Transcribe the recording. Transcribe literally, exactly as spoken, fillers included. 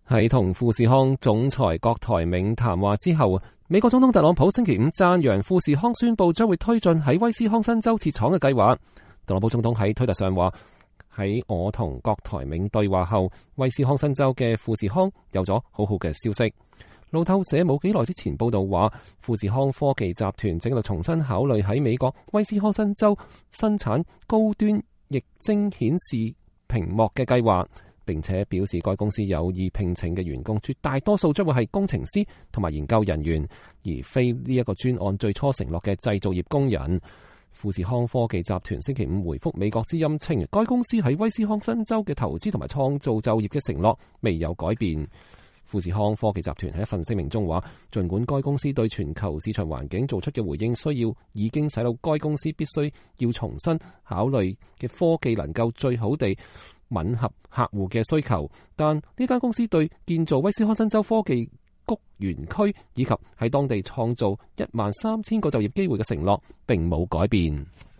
喺同富士康總裁郭台銘談話之後，美國總統特朗普星期五讚揚富士康宣布將會推進喺威斯康辛州設廠嘅計劃。特朗普總統喺推特上話：喺我同郭台銘對話後，威斯康辛州嘅富士康有咗好好嘅消息。路透社冇幾耐之前報道話，富士康科技集團正喺度重新考慮喺美國威斯康辛州生產高端液晶顯示屏幕嘅計劃。並且表示該公司有意聘請嘅員工絕大多數將會係工程師同埋研究人員，而非呢一個專案最初承諾嘅製造業工人。富士康科技集團星期五回覆美國之音稱，該公司喺威斯康辛州嘅投資同埋創造就業嘅承諾未有改變。富士康科技集團喺一份聲明中話，儘管該公司對全球市場環境做出嘅回應需要已經使到該公司必須要重新考慮嘅科技能夠最好地吻合客戶嘅需求，但呢間公司對建造威斯康辛州科技谷園區以及喺當地創造一萬三千個就業機會嘅承諾並冇改變。